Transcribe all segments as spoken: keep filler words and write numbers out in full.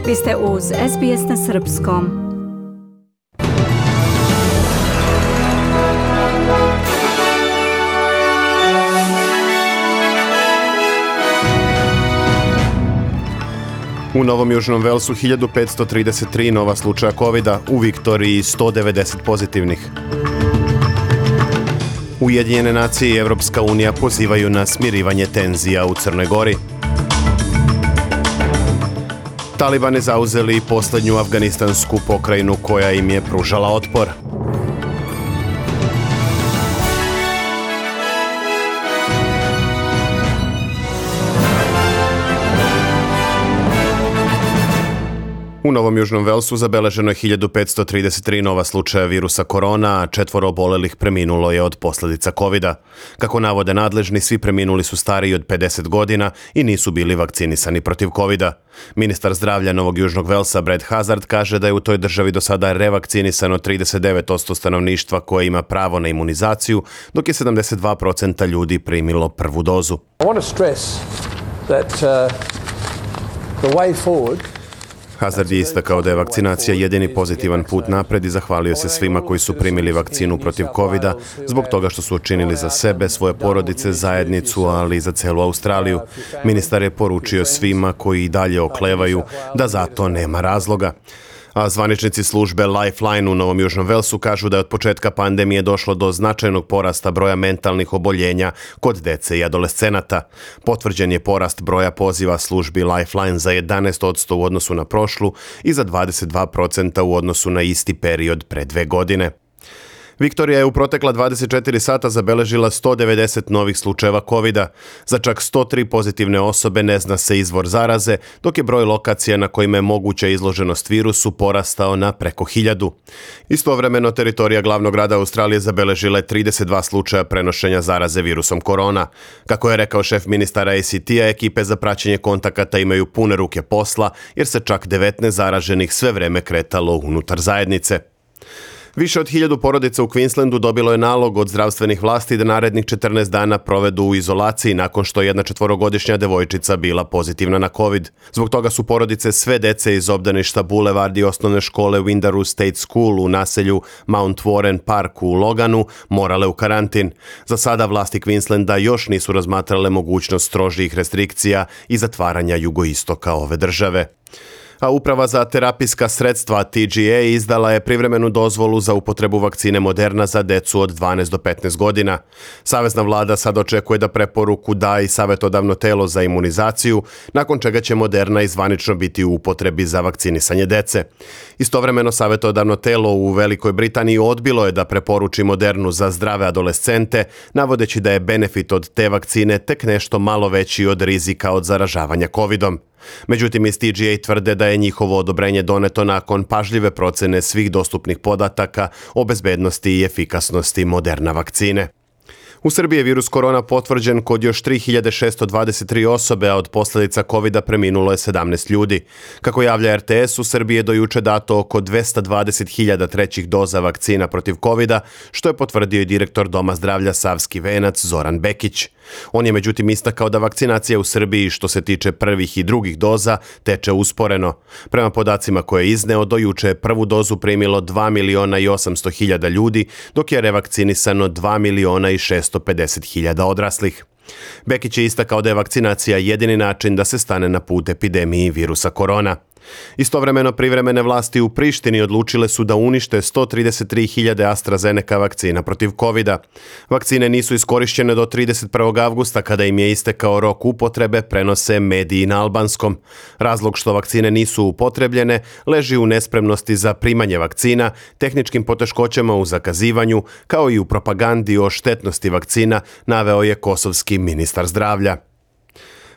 Vi ste uz S B S na srpskom. U Novom Južnom Velsu hiljadu petsto trideset tri nova slučaja kovida, u Viktoriji sto devedeset pozitivnih. Ujedinjene nacije i Evropska unija pozivaju na smirivanje tenzija u Crnoj Gori. Talibani zauzeli posljednju afganistansku pokrajinu koja im je pružala otpor. U Novom Južnom Velsu zabeleženo je hiljadu petsto trideset tri nova slučaja virusa korona, a četvoro obolelih preminulo je od posljedica kovida. Kako navode nadležni, svi preminuli su stariji od pedeset godina i nisu bili vakcinisani protiv kovida. Ministar zdravlja Novog Južnog Velsa Brad Hazard kaže da je u toj državi do sada revakcinisano trideset devet posto stanovništva koje ima pravo na imunizaciju, dok je sedamdeset dva posto ljudi primilo prvu dozu. I want to stress that uh, the way forward. Hazard je istakao da je vakcinacija jedini pozitivan put napred i zahvalio se svima koji su primili vakcinu protiv kovida zbog toga što su učinili za sebe, svoje porodice, zajednicu, ali i za celu Australiju. Ministar je poručio svima koji i dalje oklevaju da za to nema razloga. A zvaničnici službe Lifeline u Novom Južnom Velsu kažu da je od početka pandemije došlo do značajnog porasta broja mentalnih oboljenja kod dece i adolescenata. Potvrđen je porast broja poziva službi Lifeline za jedanaest posto u odnosu na prošlu i za dvadeset dva posto u odnosu na isti period pre dve godine. Viktorija je u protekla dvadeset četiri sata zabeležila sto devedeset novih slučajeva kovida. Za čak sto tri pozitivne osobe ne zna se izvor zaraze, dok je broj lokacija na kojima je moguća izloženost virusu porastao na preko hiljadu. Istovremeno, teritorija glavnog grada Australije zabeležila je trideset dva slučaja prenošenja zaraze virusom korona. Kako je rekao šef ministara A C T-a, ekipe za praćenje kontakata imaju pune ruke posla, jer se čak devetnaest zaraženih sve vreme kretalo unutar zajednice. Više od hiljadu porodica u Queenslandu dobilo je nalog od zdravstvenih vlasti da narednih četrnaest dana provedu u izolaciji nakon što je jedna četvorogodišnja devojčica bila pozitivna na COVID. Zbog toga su porodice sve dece iz obdaništa Boulevard i osnovne škole Windaroo State School u naselju Mount Warren Park u Loganu morale u karantin. Za sada vlasti Queenslanda još nisu razmatrale mogućnost strožijih restrikcija i zatvaranja jugoistoka ove države. A Uprava za terapijska sredstva T G A izdala je privremenu dozvolu za upotrebu vakcine Moderna za decu od dvanaest do petnaest godina. Savezna vlada sad očekuje da preporuku da i savjetodavno telo za imunizaciju, nakon čega će Moderna izvanično biti u upotrebi za vakcinisanje dece. Istovremeno, savjetodavno telo u Velikoj Britaniji odbilo je da preporuči Modernu za zdrave adolescente, navodeći da je benefit od te vakcine tek nešto malo veći od rizika od zaražavanja covidom. Međutim, iz T G A tvrde da je njihovo odobrenje doneto nakon pažljive procene svih dostupnih podataka o bezbednosti i efikasnosti Moderna vakcine. U Srbiji je virus korona potvrđen kod još tri hiljade šesto dvadeset tri osobe, a od posljedica kovida preminulo je sedamnaest ljudi. Kako javlja R T S, u Srbiji je do juče dato oko dvesta dvadeset hiljada trećih doza vakcina protiv kovida, što je potvrdio i direktor Doma zdravlja Savski Venac Zoran Bekić. On je međutim istakao da vakcinacija u Srbiji što se tiče prvih i drugih doza teče usporeno. Prema podacima koje je izneo, do juče je prvu dozu primilo dva miliona i osamsto hiljada ljudi, dok je revakcinisano dva miliona i šesto pedeset hiljada odraslih. Bekić je istakao da je vakcinacija jedini način da se stane na put epidemiji virusa korona. Istovremeno, privremene vlasti u Prištini odlučile su da unište sto trideset tri hiljade AstraZeneca vakcina protiv kovida. Vakcine nisu iskorišćene do trideset prvog avgusta kada im je istekao rok upotrebe, prenose mediji na albanskom. Razlog što vakcine nisu upotrebljene leži u nespremnosti za primanje vakcina, tehničkim poteškoćama u zakazivanju, kao i u propagandi o štetnosti vakcina, naveo je kosovski ministar zdravlja.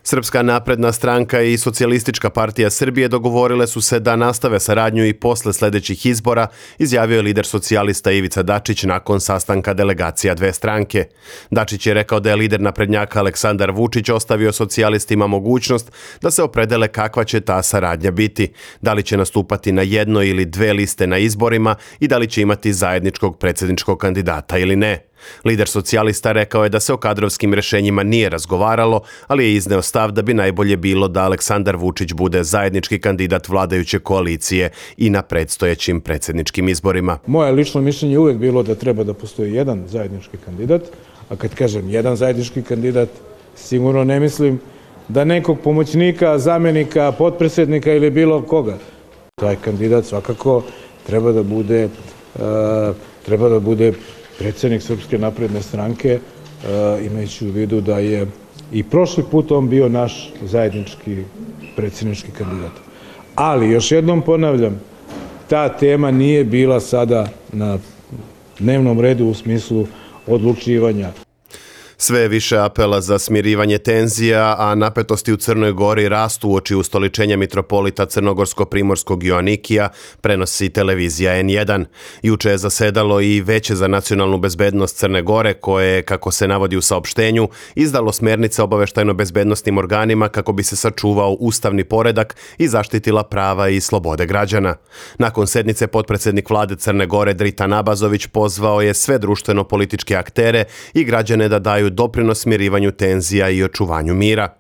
Srpska napredna stranka i Socijalistička partija Srbije dogovorile su se da nastave saradnju i posle sljedećih izbora, izjavio je lider socijalista Ivica Dačić nakon sastanka delegacija dve stranke. Dačić je rekao da je lider naprednjaka Aleksandar Vučić ostavio socijalistima mogućnost da se opredele kakva će ta saradnja biti, da li će nastupati na jedno ili dve liste na izborima i da li će imati zajedničkog predsjedničkog kandidata ili ne. Lider socijalista rekao je da se o kadrovskim rješenjima nije razgovaralo, ali je izneo stav da bi najbolje bilo da Aleksandar Vučić bude zajednički kandidat vladajuće koalicije i na predstojećim predsjedničkim izborima. Moje lično mišljenje je uvijek bilo da treba da postoji jedan zajednički kandidat, a kad kažem jedan zajednički kandidat, sigurno ne mislim da nekog pomoćnika, zamjenika, potpredsjednika ili bilo koga. Taj kandidat svakako treba da bude, uh, treba da bude predsjednik Srpske napredne stranke, uh, imajući u vidu da je i prošli put on bio naš zajednički predsjednički kandidat. Ali, još jednom ponavljam, ta tema nije bila sada na dnevnom redu u smislu odlučivanja. Sve je više apela za smirivanje tenzija, a napetosti u Crnoj Gori rastu uoči ustoličenja mitropolita crnogorsko-primorskog Joanikija, prenosi televizija en jedan. Juče je zasedalo i Veće za nacionalnu bezbednost Crne Gore, koje je, kako se navodi u saopštenju, izdalo smjernice obaveštajno-bezbednosnim organima kako bi se sačuvao ustavni poredak i zaštitila prava i slobode građana. Nakon sednice potpredsjednik vlade Crne Gore Dritan Abazović pozvao je sve društveno-političke aktere i građane da daju doprinos smirivanju tenzija i očuvanju mira.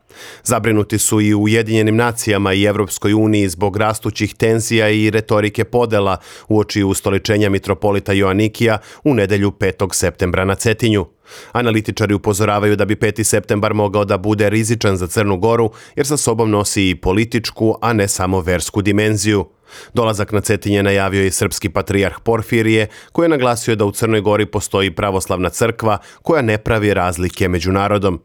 Zabrinuti su i u Ujedinjenim nacijama i Evropskoj uniji zbog rastućih tenzija i retorike podela uoči ustoličenja mitropolita Joanikija u nedjelju petog septembra na Cetinju. Analitičari upozoravaju da bi peti septembar mogao da bude rizičan za Crnu Goru jer sa sobom nosi i političku, a ne samo versku dimenziju. Dolazak na Cetinje najavio je srpski patrijarh Porfirije, koji je naglasio da u Crnoj Gori postoji pravoslavna crkva koja ne pravi razlike među narodom.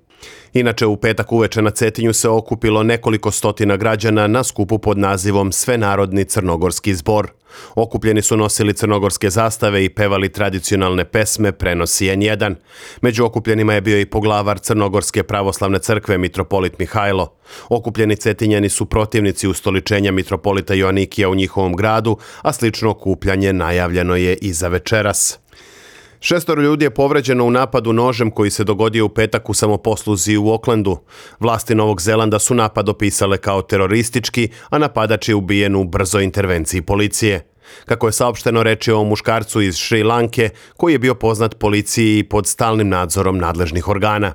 Inače, u petak uveče na Cetinju se okupilo nekoliko stotina građana na skupu pod nazivom Svenarodni crnogorski zbor. Okupljeni su nosili crnogorske zastave i pevali tradicionalne pesme, prenosi en jedan. Među okupljenima je bio i poglavar Crnogorske pravoslavne crkve mitropolit Mihajlo. Okupljeni Cetinjani su protivnici ustoličenja mitropolita Joanikija u njihovom gradu, a slično okupljanje najavljeno je i za večeras. Šestoro ljudi je povređeno u napadu nožem koji se dogodio u petak u samoposluzi u Aucklandu. Vlasti Novog Zelanda su napad opisale kao teroristički, a napadač je ubijen u brzoj intervenciji policije. Kako je saopšteno, reč je o muškarcu iz Šri Lanke koji je bio poznat policiji pod stalnim nadzorom nadležnih organa.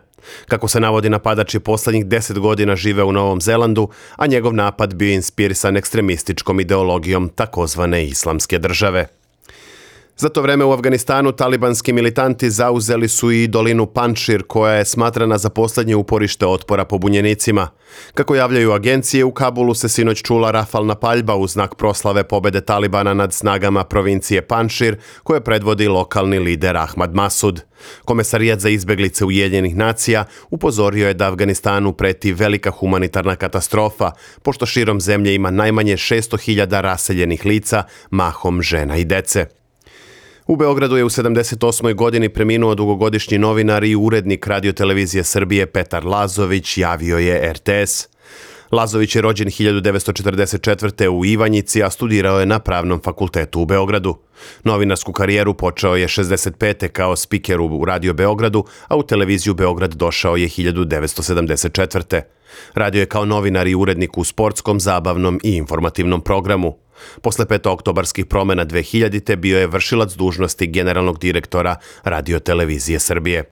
Kako se navodi, napadač je posljednjih deset godina živeo u Novom Zelandu, a njegov napad bio inspirisan ekstremističkom ideologijom takozvane islamske države. Za to vreme u Afganistanu talibanski militanti zauzeli su i dolinu Panjšir, koja je smatrana za posljednje uporište otpora pobunjenicima. Kako javljaju agencije, u Kabulu se sinoć čula rafalna paljba u znak proslave pobede Talibana nad snagama provincije Panjšir, koje predvodi lokalni lider Ahmad Masud. Komesarijat za izbjeglice Ujedinjenih nacija upozorio je da Afganistanu preti velika humanitarna katastrofa, pošto širom zemlje ima najmanje šesto hiljada raseljenih lica, mahom žena i dece. U Beogradu je u sedamdeset osmoj godini preminuo dugogodišnji novinar i urednik radiotelevizije Srbije Petar Lazović, javio je er te es. Lazović je rođen hiljadu devetsto četrdeset četvrte. u Ivanjici, a studirao je na Pravnom fakultetu u Beogradu. Novinarsku karijeru počeo je šezdeset pete. kao spiker u Radio Beogradu, a u televiziju Beograd došao je hiljadu devetsto sedamdeset četvrte. Radio je kao novinar i urednik u sportskom, zabavnom i informativnom programu. Posle petooktobarskih promjena dve hiljadite. bio je vršilac dužnosti generalnog direktora Radiotelevizije Srbije.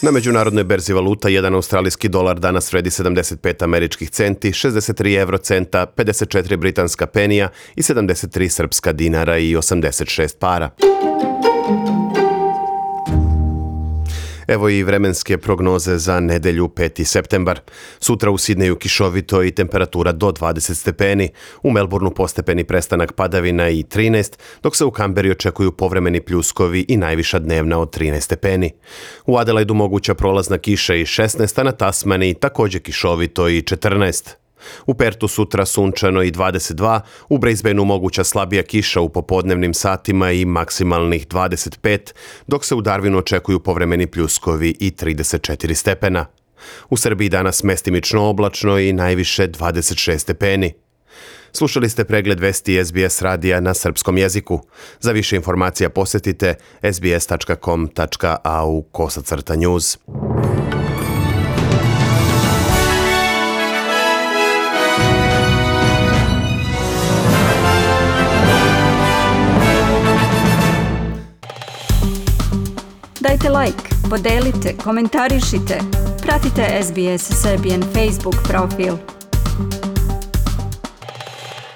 Na međunarodnoj berzi valuta jedan australijski dolar danas vredi sedamdeset pet američkih centi, šezdeset tri evrocenta, pedeset četiri britanska penija i sedamdeset tri srpska dinara i osamdeset šest para. Evo i vremenske prognoze za nedelju peti septembar. Sutra u Sidneju kišovito i temperatura do dvadeset stepeni. U Melbourneu postepeni prestanak padavina i trinaest, dok se u Kamberi očekuju povremeni pljuskovi i najviša dnevna od trinaest stepeni. U Adelaidu moguća prolazna kiša i šesnaest, a na Tasmaniji također kišovito i četrnaest. U Pertu sutra sunčano i dvadeset dva, u Brisbaneu moguća slabija kiša u popodnevnim satima i maksimalnih dvadeset pet, dok se u Darwinu očekuju povremeni pljuskovi i trideset četiri stepena. U Srbiji danas mestimično oblačno i najviše dvadeset šest stepeni. Slušali ste pregled vesti es be es radija na srpskom jeziku. Za više informacija posjetite es be es tačka com tačka a u kosacrta news. like, podelite, komentarišite. Pratite S B S Serbian Facebook profil.